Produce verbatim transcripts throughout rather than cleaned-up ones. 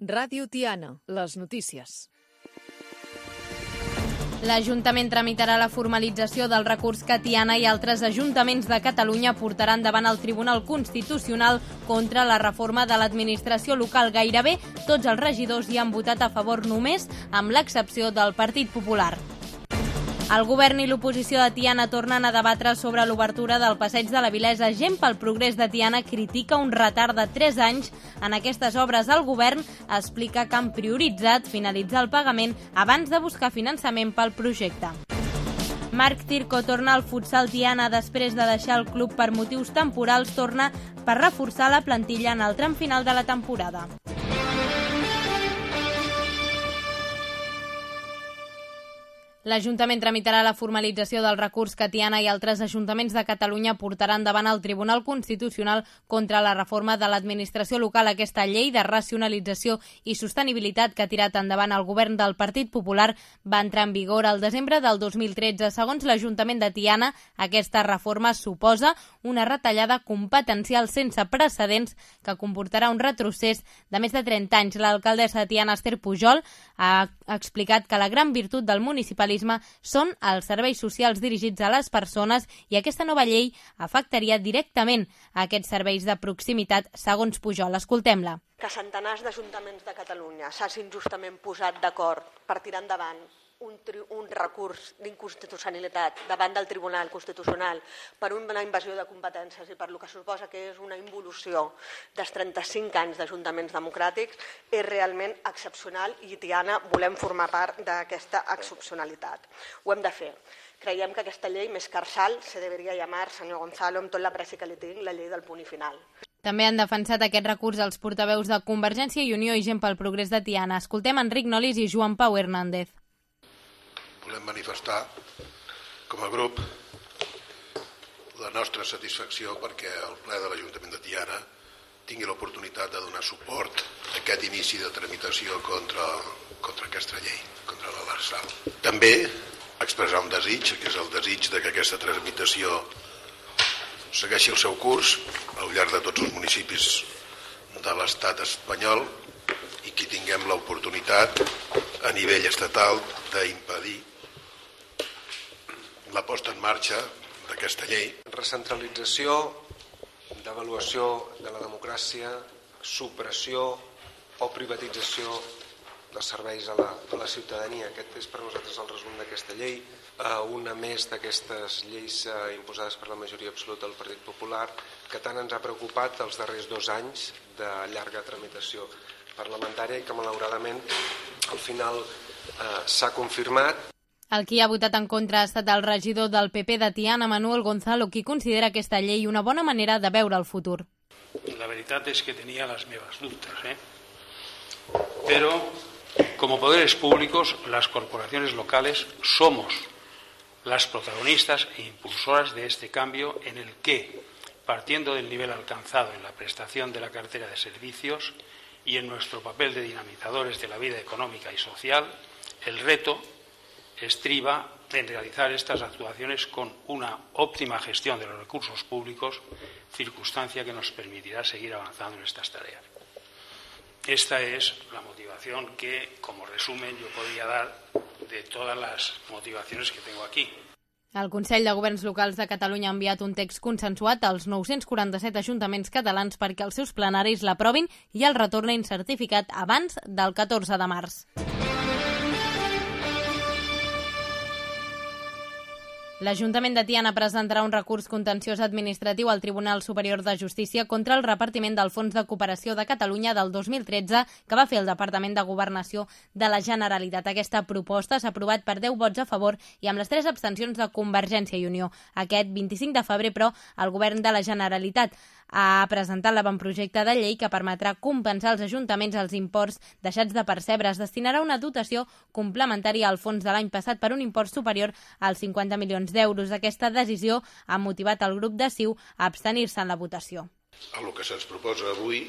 Ràdio Tiana, les notícies. L'Ajuntament tramitarà la formalització del recurs que Tiana i altres ajuntaments de Catalunya portaran davant el Tribunal Constitucional contra la reforma de l'administració local. Gairebé tots els regidors hi han votat a favor només, amb l'excepció del Partit Popular. El govern i l'oposició de Tiana tornen a debatre sobre l'obertura del Passeig de la Vilesa. Gent pel Progrés de Tiana critica un retard de tres anys en aquestes obres. El govern explica que han prioritzat finalitzar el pagament abans de buscar finançament pel projecte. Marc Tirco torna al futsal Tiana després de deixar el club per motius temporals. Torna per reforçar la plantilla en el tram final de la temporada. L'Ajuntament tramitarà la formalització del recurs que Tiana i altres ajuntaments de Catalunya portaran davant el Tribunal Constitucional contra la reforma de l'administració local. Aquesta llei de racionalització i sostenibilitat que ha tirat endavant el govern del Partit Popular va entrar en vigor al desembre del dos mil tretze. Segons l'Ajuntament de Tiana, aquesta reforma suposa una retallada competencial sense precedents que comportarà un retrocés de més de trenta anys. L'alcaldessa de Tiana, Esther Pujol, ha explicat que la gran virtut del municipalisme són els serveis socials dirigits a les persones i aquesta nova llei afectaria directament a aquests serveis de proximitat, segons Pujol. Escoltem-la. Que centenars d'ajuntaments de Catalunya s'hagin justament posat d'acord per tirar endavant un, un recurs d'inconstitucionalitat davant del Tribunal Constitucional per una invasió de competències i per lo que suposa que és una involució dels trenta-cinc anys d'ajuntaments democràtics és realment excepcional i Tiana volem formar part d'aquesta excepcionalitat. Ho hem de fer. Creiem que aquesta llei, més que arsal, se deberia llamar, senyor Gonzalo, amb tot l'apreci que li tinc, la llei del punt i final. També han defensat aquest recurs els portaveus de Convergència i Unió i Gent pel Progrés de Tiana. Escoltem Enric Nolis i Joan Pau Hernández. Volem manifestar, com a grup, la nostra satisfacció perquè el ple de l'Ajuntament de Tiana tingui l'oportunitat de donar suport a aquest inici de tramitació contra, contra aquesta llei, contra la l'Arsal. També expressar un desig, que és el desig de que aquesta tramitació segueixi el seu curs al llarg de tots els municipis de l'estat espanyol i que tinguem l'oportunitat a nivell estatal d'impedir la posta en marxa d'aquesta llei. Recentralització, devaluació de la democràcia, supressió o privatització de serveis a la, a la ciutadania. Aquest és per nosaltres el resum d'aquesta llei. Una més d'aquestes lleis imposades per la majoria absoluta del Partit Popular que tant ens ha preocupat els darrers dos anys de llarga tramitació parlamentària i que malauradament al final eh, s'ha confirmat. El qui ha votat en contra ha estat el regidor del P P de Tiana, Manuel Gonzalo, qui considera aquesta llei una bona manera de veure el futur. La veritat és que tenia les meves dubtes, ¿eh? Pero como poderes públicos, las corporaciones locales somos las protagonistas e impulsoras de este cambio en el que, partiendo del nivel alcanzado en la prestación de la cartera de servicios y en nuestro papel de dinamizadores de la vida económica y social, el reto estriba en realizar estas actuaciones con una óptima gestión de los recursos públicos, circunstancia que nos permitirá seguir avanzando en estas tareas. Esta es la motivación que, como resumen, yo podría dar de todas las motivaciones que tengo aquí. El Consell de Governs Locals de Catalunya ha enviat un text consensuat als nou-cents quaranta-set ajuntaments catalans perquè els seus plenaris l'aprovin i el retornin certificat abans del catorze de març. L'Ajuntament de Tiana presentarà un recurs contenciós administratiu al Tribunal Superior de Justícia contra el repartiment del Fons de Cooperació de Catalunya del dos mil tretze que va fer el Departament de Governació de la Generalitat. Aquesta proposta s'ha aprovat per deu vots a favor i amb les tres abstencions de Convergència i Unió. Aquest vint-i-cinc de febrer, però, el Govern de la Generalitat ha presentat l'avantprojecte de llei que permetrà compensar als ajuntaments els imports deixats de percebre. Es destinarà una dotació complementària al fons de l'any passat per un import superior als cinquanta milions d'euros. Aquesta decisió ha motivat el grup de C I U a abstenir-se en la votació. El que se'ns proposa avui,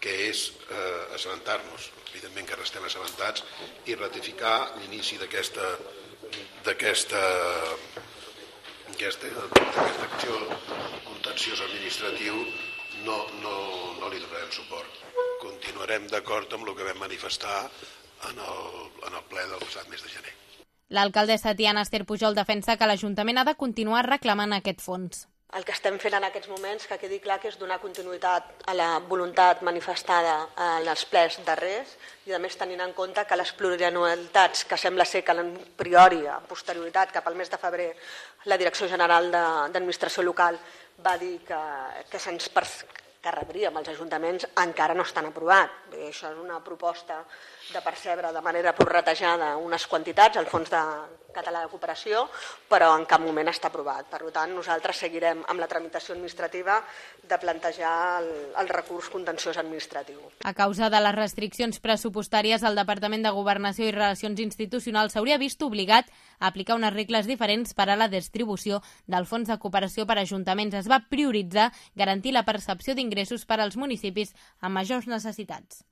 que és eh, assabentar-nos, evidentment que restem assabentats, i ratificar l'inici d'aquesta d'aquesta aquesta, aquesta acció contenciosa administratiu no, no, no li donarem suport. Continuem continuarem d'acord amb el que vam manifestar en el, en el ple del passat mes de gener. L'alcaldessa Tiana Ester Pujol defensa que l'Ajuntament ha de continuar reclamant aquest fons. El que estem fent en aquests moments, que quedi clar, que és donar continuïtat a la voluntat manifestada en els plens darrers i, a més, tenint en compte que les plurianualitats, que sembla ser que a priori, a posterioritat, cap al mes de febrer, la Direcció General d'Administració Local va dir que, que se'ns que rebríem els ajuntaments, encara no estan aprovats. Bé, això és una proposta de percebre de manera prorratejada unes quantitats al Fons de Català de Cooperació, però en cap moment està aprovat. Per tant, nosaltres seguirem amb la tramitació administrativa de plantejar el, el recurs contenciós administratiu. A causa de les restriccions pressupostàries, el Departament de Governació i Relacions Institucionals s'hauria vist obligat a aplicar unes regles diferents per a la distribució del Fons de Cooperació per a ajuntaments. Es va prioritzar garantir la percepció d'ingressos per als municipis amb majors necessitats.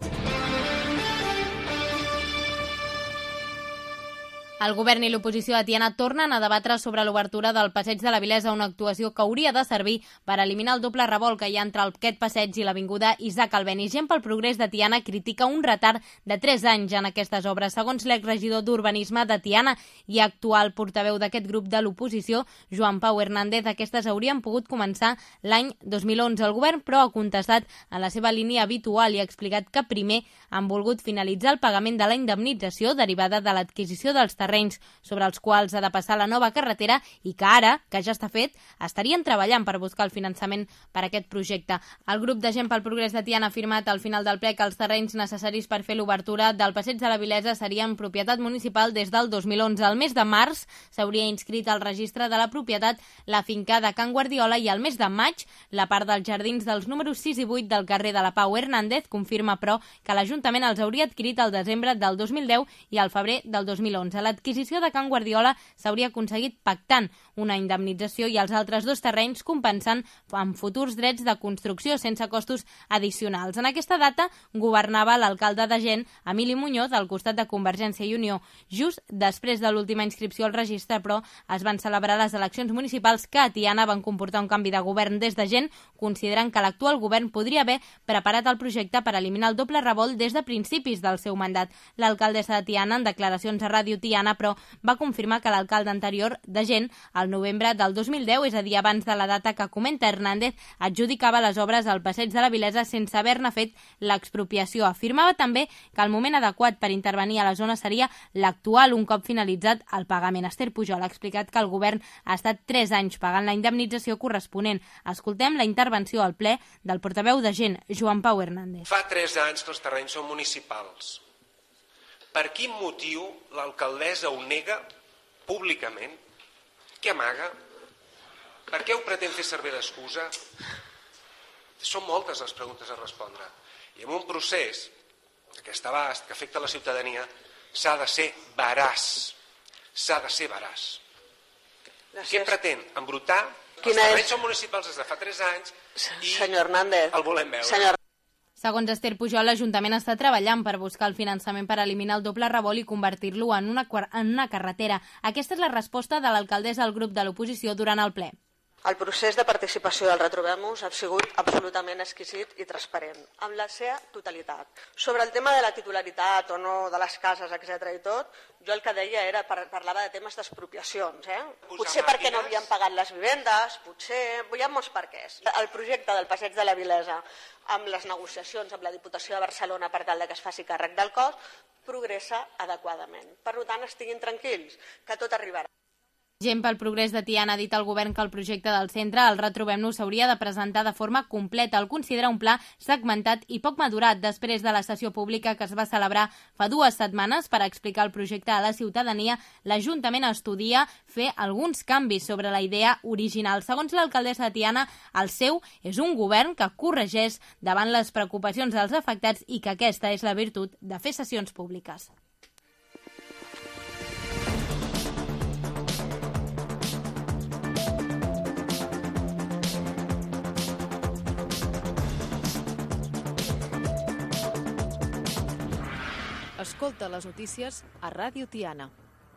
El govern i l'oposició de Tiana tornen a debatre sobre l'obertura del Passeig de la Vilesa, una actuació que hauria de servir per eliminar el doble revolt que hi ha entre aquest passeig i l'avinguda Isaac Albéniz. Gent pel Progrés de Tiana critica un retard de tres anys en aquestes obres. Segons l'exregidor d'Urbanisme de Tiana i actual portaveu d'aquest grup de l'oposició, Joan Pau Hernández, aquestes haurien pogut començar l'any dos mil onze. El govern, però, ha contestat en la seva línia habitual i ha explicat que primer han volgut finalitzar el pagament de la indemnització derivada de l'adquisició dels terrenys sobre els quals ha de passar la nova carretera i que ara, que ja està fet, estarien treballant per buscar el finançament per a aquest projecte. El grup de Gent pel Progrés de Tiana ha afirmat al final del ple que els terrenys necessaris per fer l'obertura del Passeig de la Vilesa serien propietat municipal des del dos mil onze. Al mes de març s'hauria inscrit al registre de la propietat la finca de Can Guardiola i al mes de maig la part dels jardins dels números sis i vuit del carrer de la Pau. Hernández confirma, però, que l'Ajuntament els hauria adquirit al desembre del dos mil deu i al febrer del dos mil onze. L'adquisició de Can Guardiola s'hauria aconseguit pactant una indemnització i els altres dos terrenys compensant amb futurs drets de construcció sense costos addicionals. En aquesta data governava l'alcalde de Gent, Emili Muñoz, al costat de Convergència i Unió. Just després de l'última inscripció al registre, però, es van celebrar les eleccions municipals que a Tiana van comportar un canvi de govern des de Gent, considerant que l'actual govern podria haver preparat el projecte per eliminar el doble revolt des de principis del seu mandat. L'alcaldessa de Tiana, en declaracions a Ràdio Tiana, però, va confirmar que l'alcalde anterior de Gent, al novembre del dos mil deu, és a dir, abans de la data que comenta Hernández, adjudicava les obres al Passeig de la Vilesa sense haver-ne fet l'expropiació. Afirmava també que el moment adequat per intervenir a la zona seria l'actual, un cop finalitzat el pagament. Ester Pujol ha explicat que el govern ha estat tres anys pagant la indemnització corresponent. Escoltem la intervenció al ple del portaveu de Gent, Joan Pau Hernández. Fa tres anys que els terrenys són municipals. Per quin motiu l'alcaldessa ho nega públicament? Què amaga? Per què ho pretén fer servir d'excusa? Són moltes les preguntes a respondre. I en un procés d'aquest abast que afecta la ciutadania s'ha de ser veraç. S'ha de ser veraç. Gràcies. Què pretén? Embrutar? Els terrenys és... són municipals des de fa tres anys i Senyor Hernández, el volem veure. Senyor... Segons Ester Pujol, l'Ajuntament està treballant per buscar el finançament per eliminar el doble revolt i convertir-lo en una, en una carretera. Aquesta és la resposta de l'alcaldessa al grup de l'oposició durant el ple. El procés de participació del Retrobem-nos ha sigut absolutament exquisit i transparent, amb la seva totalitat. Sobre el tema de la titularitat o no de les cases, etcètera i tot, jo el que deia era, parlava de temes d'expropiacions. Eh? Potser perquè no havien pagat les vivendes, potser... Hi ha molts perquès. El projecte del Passeig de la Vilesa, amb les negociacions amb la Diputació de Barcelona per tal que es faci càrrec del cost, progressa adequadament. Per tant, estiguin tranquils, que tot arribarà. Gent pel Progrés de Tiana ha dit al govern que el projecte del centre, el Retrobem-nos, s'hauria de presentar de forma completa. El considera un pla segmentat i poc madurat després de la sessió pública que es va celebrar fa dues setmanes per explicar el projecte a la ciutadania. L'Ajuntament estudia fer alguns canvis sobre la idea original. Segons l'alcaldessa de Tiana, el seu és un govern que corregeix davant les preocupacions dels afectats i que aquesta és la virtut de fer sessions públiques. Escolta les notícies a Ràdio Tiana.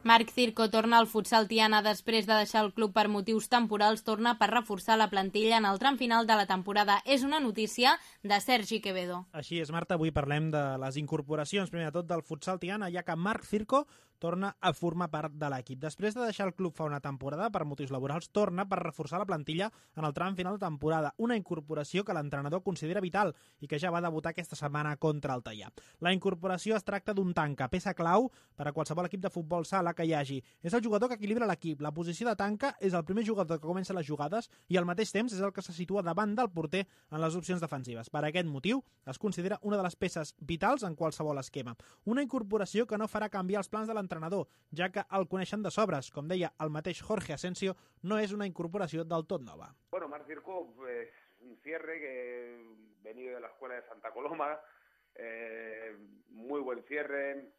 Marc Circo torna al futsal Tiana després de deixar el club per motius temporals, torna per reforçar la plantilla en el tram final de la temporada. És una notícia de Sergi Quevedo. Així és, Marta, avui parlem de les incorporacions, primer de tot del futsal Tiana, ja que Marc Circo torna a formar part de l'equip. Després de deixar el club fa una temporada per motius laborals, torna per reforçar la plantilla en el tram final de temporada, una incorporació que l'entrenador considera vital i que ja va debutar aquesta setmana contra el Teià. La incorporació es tracta d'un tanca, peça clau per a qualsevol equip de futbol sala que hi hagi. És el jugador que equilibra l'equip. La posició de tanca és el primer jugador que comença les jugades i al mateix temps és el que se situa davant del porter en les opcions defensives. Per aquest motiu, es considera una de les peces vitals en qualsevol esquema. Una incorporació que no farà canviar els plans de l'entrenador, ja que el coneixen de sobres. Com deia el mateix Jorge Asensio, no és una incorporació del tot nova. Bueno, Marc Circo es un cierre que venido de la escuela de Santa Coloma, eh, muy buen cierre.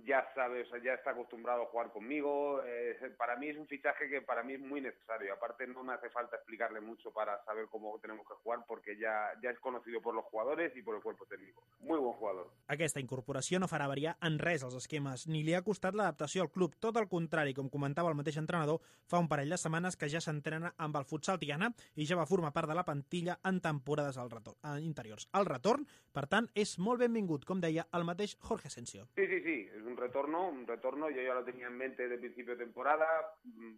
Ya sabe, o sea, ya está acostumbrado a jugar conmigo. Eh, para mí es un fichaje que para mí es muy necesario. Aparte no me hace falta explicarle mucho para saber cómo tenemos que jugar porque ya, ya es conocido por los jugadores y por el cuerpo técnico. Muy buen jugador. Aquesta incorporació no farà variar en res els esquemes, ni li ha costat l'adaptació al club. Tot el contrari, com comentava el mateix entrenador, fa un parell de setmanes que ja s'entrena amb el futsal Tiana i ja va formar part de la plantilla en temporades al retorn, en interiors. El retorn, per tant, és molt benvingut, com deia el mateix Jorge Asensio. Sí, sí, sí. Es un retorno, un retorno, yo ya lo tenía en mente de principio de temporada,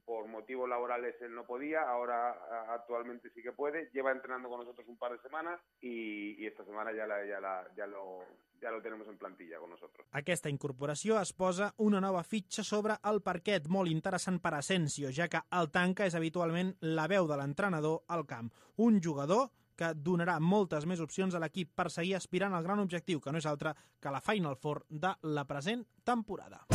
por motivos laborales él no podía, ahora actualmente sí que puede, lleva entrenando con nosotros un par de semanas y, y esta semana ya, la, ya, la, ya, lo, ya lo tenemos en plantilla con nosotros. Aquesta incorporació es posa una nova fitxa sobre el parquet, molt interessant per Asensio, ja que el tanca és habitualment la veu de l'entrenador al camp. Un jugador que donarà moltes més opcions a l'equip per seguir aspirant al gran objectiu, que no és altre que la Final Four de la present temporada.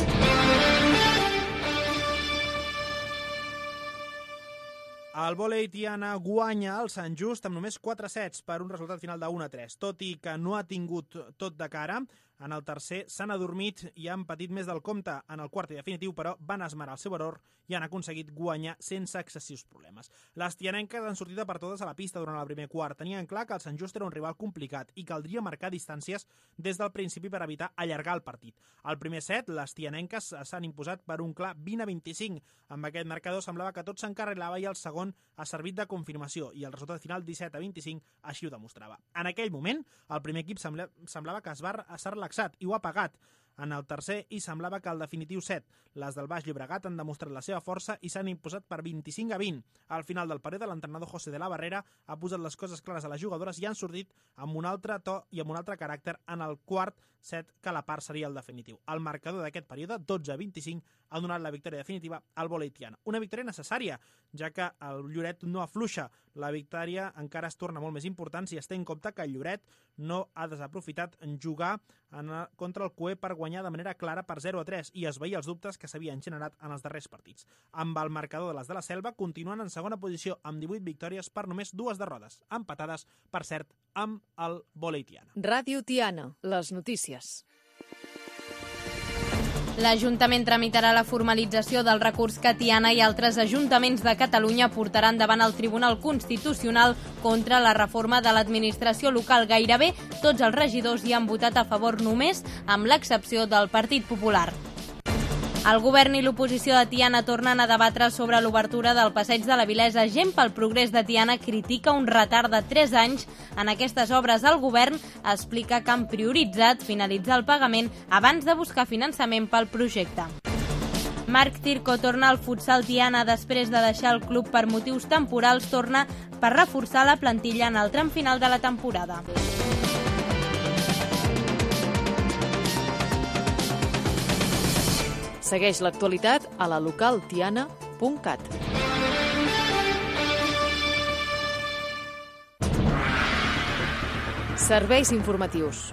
El vòlei Tiana guanya el Sant Just amb només quatre sets per un resultat final de u a tres. Tot i que no ha tingut tot de cara, en el tercer s'han adormit i han patit més del compte. En el quart i definitiu, però, van esmerar el seu error i han aconseguit guanyar sense excessius problemes. Les tianenques han sortit per totes a la pista durant el primer quart. Tenien clar que el Sant Just era un rival complicat i caldria marcar distàncies des del principi per evitar allargar el partit. Al primer set, les tianenques s'han imposat per un clar vint a vint-i-cinc. Amb aquest marcador semblava que tot s'encarrilava i el segon ha servit de confirmació i el resultat final disset a vint-i-cinc així ho demostrava. En aquell moment, el primer equip sembla, semblava que es va s'ha relaxat i ho ha pagat. En el tercer hi semblava que el definitiu set. Les del Baix Llobregat han demostrat la seva força i s'han imposat per vint-i-cinc a vint. Al final del període, l'entrenador José de la Barrera ha posat les coses clares a les jugadores i han sortit amb un altre to i amb un altre caràcter en el quart set, que a la part seria el definitiu. El marcador d'aquest període, dotze a vint-i-cinc, ha donat la victòria definitiva al vòlei Tiana. Una victòria necessària, ja que el Lloret no afluixa. La victòria encara es torna molt més important si es té en compte que el Lloret no ha desaprofitat en jugar en el, contra el Cue per guanyar de manera clara per zero a tres i esvair els dubtes que s'havien generat en els darrers partits. Amb el marcador de les de la Selva continuen en segona posició amb divuit victòries per només dues derrotes, empatades, per cert, amb el vòlei Tiana. Ràdio Tiana, les notícies. L'Ajuntament tramitarà la formalització del recurs que Tiana i altres ajuntaments de Catalunya portaran davant el Tribunal Constitucional contra la reforma de l'administració local. Gairebé tots els regidors hi han votat a favor només, amb l'excepció del Partit Popular. El govern i l'oposició de Tiana tornen a debatre sobre l'obertura del Passeig de la Vilesa. Gent pel Progrés de Tiana critica un retard de tres anys en aquestes obres. El govern explica que han prioritzat finalitzar el pagament abans de buscar finançament pel projecte. Marc Circo torna al futsal Tiana després de deixar el club per motius temporals. Torna per reforçar la plantilla en el tram final de la temporada. Segueix l'actualitat a la local tiana punt cat. Serveis informatius.